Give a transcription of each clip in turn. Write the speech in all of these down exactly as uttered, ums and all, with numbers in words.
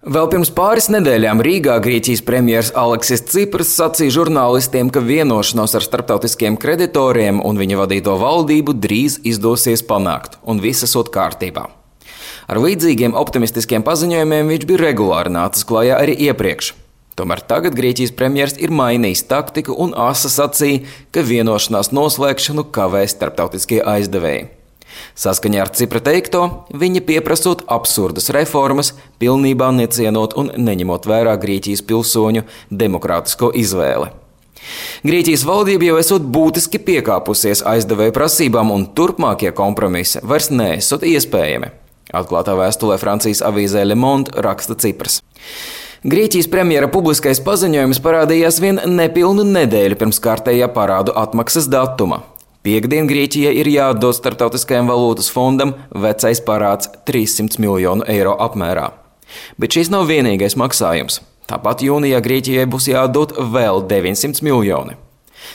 Vēl pirms pāris nedēļām Rīgā Grieķijas premjers Aleksis Cipras sacīja žurnālistiem, ka vienošanos ar starptautiskiem kreditoriem un viņa vadīto valdību drīz izdosies panākt, un viss esot kārtībā. Ar līdzīgiem optimistiskiem paziņojumiem viņš bija regulāri nācis klajā arī iepriekš. Tomēr tagad Grieķijas premjers ir mainījis taktiku un asa sacīja, ka vienošanās noslēgšanu kavēs starptautiskie aizdevēji. Saskaņā ar Cipra teikto, viņa pieprasot absurdas reformas, pilnībā necienot un neņemot vērā Grieķijas pilsoņu demokrātisko izvēli. Grieķijas valdība jau esot būtiski piekāpusies aizdevēju prasībām un turpmākie kompromisi vairs neesot iespējami. Atklātā vēstulē Francijas avīzē Le Monde raksta Cipras. Grieķijas premjera publiskais paziņojums parādījās vien nepilnu nedēļu pirms kārtējā parādu atmaksas datuma. Piektdien Grieķijai ir jāatdod Starptautiskajam valūtas fondam vecais parāds trīssimts miljonu eiro apmērā. Bet šis nav vienīgais maksājums. Tāpat jūnijā Grieķijai būs jāatdod vēl deviņsimt miljoni.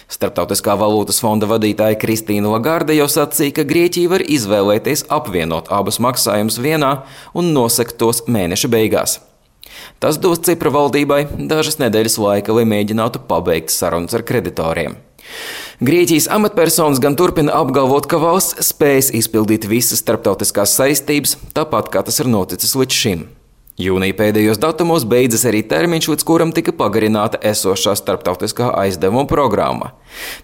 Starptautiskā valūtas fonda vadītāja Kristīna Lagarde jau sacīja, ka Grieķija var izvēlēties apvienot abus maksājumus vienā un nosakt tos mēneša beigās. Tas dos Cipra valdībai dažas nedēļas laika, lai mēģinātu pabeigt sarunas ar kreditoriem. Grieķijas amatpersonas gan turpina apgalvot, ka valsts spējas izpildīt visas starptautiskās saistības, tāpat kā tas ir noticis līdz šim. Jūnija pēdējos datumos beidzas arī termiņš, līdz kuram tika pagarināta esošā starptautiskā aizdevuma programma.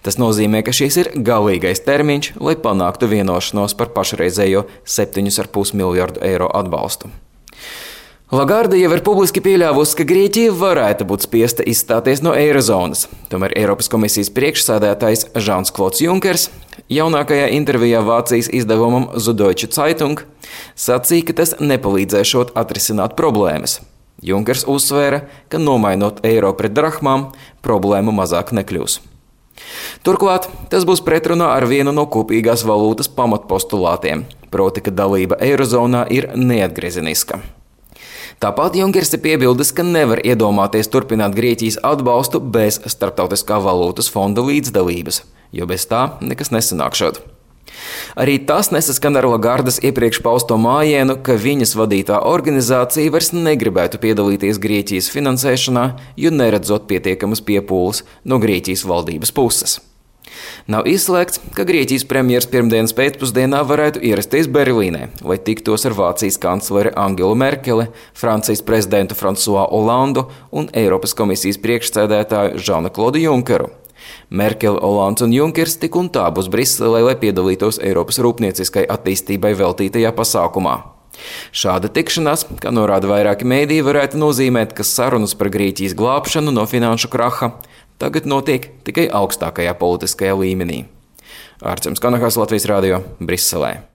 Tas nozīmē, ka šis ir galīgais termiņš, lai panāktu vienošanos par pašreizējo septiņu ar pus miljardu eiro atbalstu. Lagarde jau ir publiski pieļāvusi, ka Grieķija varētu būt spiesta izstāties no eirozonas. Tomēr Eiropas komisijas priekšsēdētājs Žans-Klods Junkers jaunākajā intervijā Vācijas izdevumam Süddeutsche Zeitung sacīja, ka tas nepalīdzēšot atrisināt problēmas. Junkers uzsvēra, ka nomainot eiro pret drahmām, problēma mazāk nekļūs. Turklāt tas būs pretrunā ar vienu no kopīgās valūtas pamatpostulātiem, proti, ka dalība eirozonā ir neatgriezeniska. Tāpat Junkers ir piebildis, ka nevar iedomāties turpināt Grieķijas atbalstu bez Starptautiskā valūtas fonda līdzdalības, jo bez tā nekas nesanākšot. Arī tas nesaskan ar Lagardes iepriekš pausto mājienu, ka viņas vadītā organizācija vairs negribētu piedalīties Grieķijas finansēšanā, jo neredzot pietiekamas piepūles no Grieķijas valdības puses. Nav izslēgts, ka Grieķijas premjers pirmdienas pēcpusdienā varētu ierasties Berlīnē, lai tiktos ar Vācijas kancleri Angelu Merkeli, Francijas prezidentu François Hollandu un Eiropas komisijas priekšsēdētāju Žanu-Klodu Junkeru. Merkele, Hollands un Junkers tik un tā būs Briselē, lai piedalītos Eiropas rūpnieciskai attīstībai veltītajā pasākumā. Šāda tikšanās, kā norāda vairāki mēdīji, varētu nozīmēt, ka sarunas par Grieķijas glābšanu no finanšu kraha tagad notiek tikai augstākajā politiskajā līmenī. Ārčems Kanahas, Latvijas radio, Briselē.